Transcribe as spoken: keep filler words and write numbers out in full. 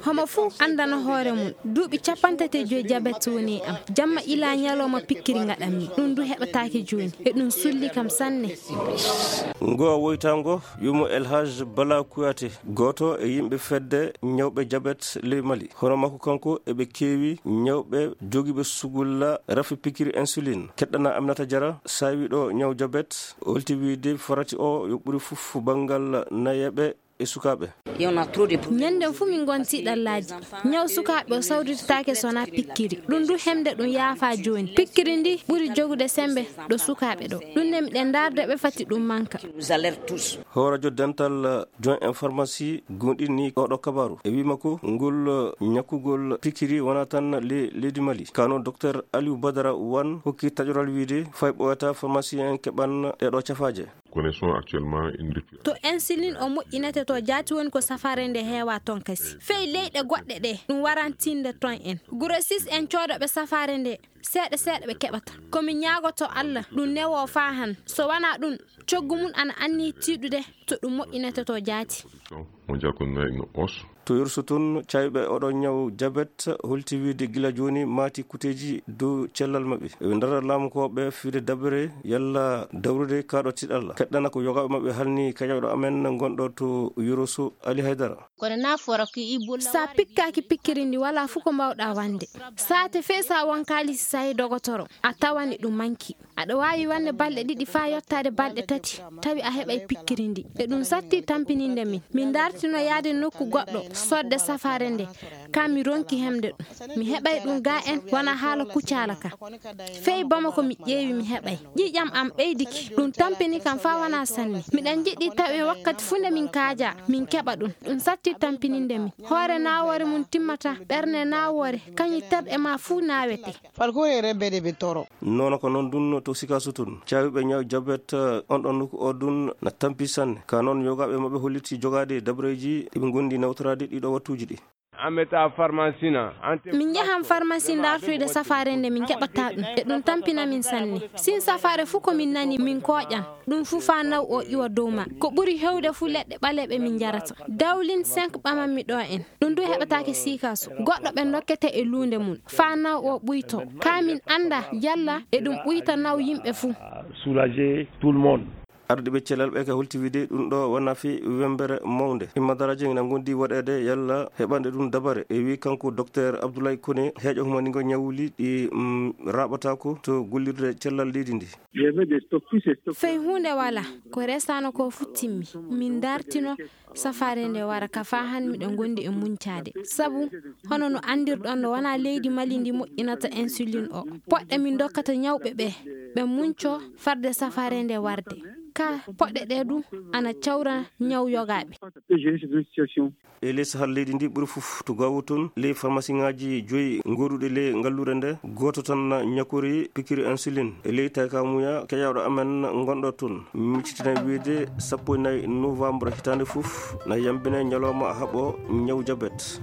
Homo fuu anndana hoore mum, duuɓi capanɗe tati e joy jabet woni e am. Jamma ila ñalawma pikkiri ngaɗanmi. Ɗum du heɓataake jooni. E ɗum sulli kam sanne. Ngo woytango, yumo El Hadj Bala Kouyaté, gooto e yimɓe fedde ñawɓe jabet ley Mali. Hono makko kanko, eɓe keewi ñawɓe jogiiɓe sugulla rafi pikkiri insuline. Keɗɗana Aminata Jara, saawiiɗo ñaw jabet, holti wiide farati o yo ɓuri fof banngal nayeeɓe e sukaaɓe. Ñande fuu min ngonti ɗallaaji. Ñaw sukaaɓe o sawritataake so wonaa pikkiri. Ɗum du hemde ɗum yaafaa jooni. Pikkiri ndi ɓuri jogude sembe ɗo sukaaɓe ɗo. Ɗum ne miɗen ndaarde ɓe fati ɗum manka. Hoorajo dental joint en pharmacie gonɗinni oɗo kabaru. E wii makko ngol ñakkugol pikkiri wonaa tan le-, leydi Mali. Kano Docteur Aliou Badara Wan hokki taƴoral wiide fay ɓooyata pharmacien en keɓan ɗeɗo cafaaje. Connaissons actuellement une rupture. To insuline o moƴƴinete to jaati woni ko safaare nde heewa ton kasi. Fey leyɗe goɗɗe ɗe, ɗum warantinde ton en. Grossiste en coodoɓe safaare nde, seeɗa seeɗa ɓe keɓata. Ko mi ñaagoto Allah, ɗum newo faa han. So wanaa ɗum, coggu mum ana anni tiiɗude to ɗum moƴƴinete to jaati. Mondial ko na une hausse. To Yursu tun, cayɓe oɗo ñaw jabet holti wiide gila jooni maati kuteeji dow cellal maɓɓe. Eɓe ndara laamu ko ɓe fiide dabere yalla dawrude kaaɗo tiɗalla. Keɗɗana ko yogaaɓe maɓɓe halni kaƴawɗo amen gonɗo to Yursu Ali Haydara. Kono na fora ko i bulla sa pikkaaki pikkiri ndi wala fu ko mbawɗa wande. Saate fee sa won kaalisi sahi dogotoro, a tawani ɗum manki. Aɗa waawi wonde balɗe ɗiɗi faa yottaade balɗe tati, tawi a heɓay pikkiri ndi. E ɗum satti tampininde min. Min ndartino yaade nokku goɗɗo, sodde safaare nde. Ka mi ronki hemde ɗum. Mi heɓay ɗum ga en, wona haala kucaala ka. Fey Bamako mi ƴeewi mi heɓay. Ƴiiƴam am ɓeydiki. Ɗum tampini kam faa wona sanne. Miɗen jiɗi tawi wakkati fuu nde min kaaja, min keɓa ɗum. Ɗum satti tampininde min. Hoore naawoore mum timmata, ɓernde naawoore, kañum terɗe maa fuu naawete. Falkore rebbe de be toro. Nono ko noon ɗum to Sikaso tun. Caawiiɓe ñaw jabet, eh, on ɗon nokku o ɗum na tampi sanne. Ka noon yogaaɓe maɓɓe holliti jogaade dabareeji ɗi ɓe ngondi nawtoraade ɗiɗo wattuuji ɗi. Ameta farmasina. Min njahan farmasi ndartoyde safaare nde min keɓata ɗum. E ɗum tampina min sanne. Sin safaare fuu ko min nani min kooƴan. Ɗum fuu faa naw o iwa dow ma. Ko ɓuri hewde fuu leɗɗe ɓaleeɓe min njarata. Dawlin cinq ɓamanmi ɗo en. Ɗum du heɓataake siikaso. Goɗɗo ɓe dokkete e luunde mum. Faa naw o ɓuyto. Kaa min annda yalla e ɗum ɓuyta naw yimɓe fuu. Soulager tout le monde. Ardiiɓe cellal ɓe ka holti wiide ɗum ɗo wona fi wembere mawnde. Imma daraaje ina ngondi waɗeede yalla heɓande ɗum dabare. E wi kanko Docteur Abdoulaye Koné, heeƴo humaningo ñawuli ɗi, mm, raɓataako to gollirde cellal leydi ndi. Fey huunde wala, ko resano ko fuu timmi. Min dartino safaare nde wara ka faa han miɗo ngondi e muncaade. Sabu, hono no anndirɗon no wona leydi Mali ndi moƴƴinata insuline o. Poɗɗe min dokkata ñawɓe ɓe, ɓe munco farde safaare nde warde. Ka poɗɗe ɗe du ana cawra ñaw yogaaɓe. E ley sahal leydi ndi ɓuri fof to Gaawo toon, ley farmasiŋaaji joyi gooduɗi ley ngalluure nde, gooto tan na ñakori pikiri insuline. E ley taykamuya keƴaaɗo amen ngonɗo toon, miccitina wiide sappo e nayi novembre hitaande fof na yambine ñalawma haɓo ñaw jabet.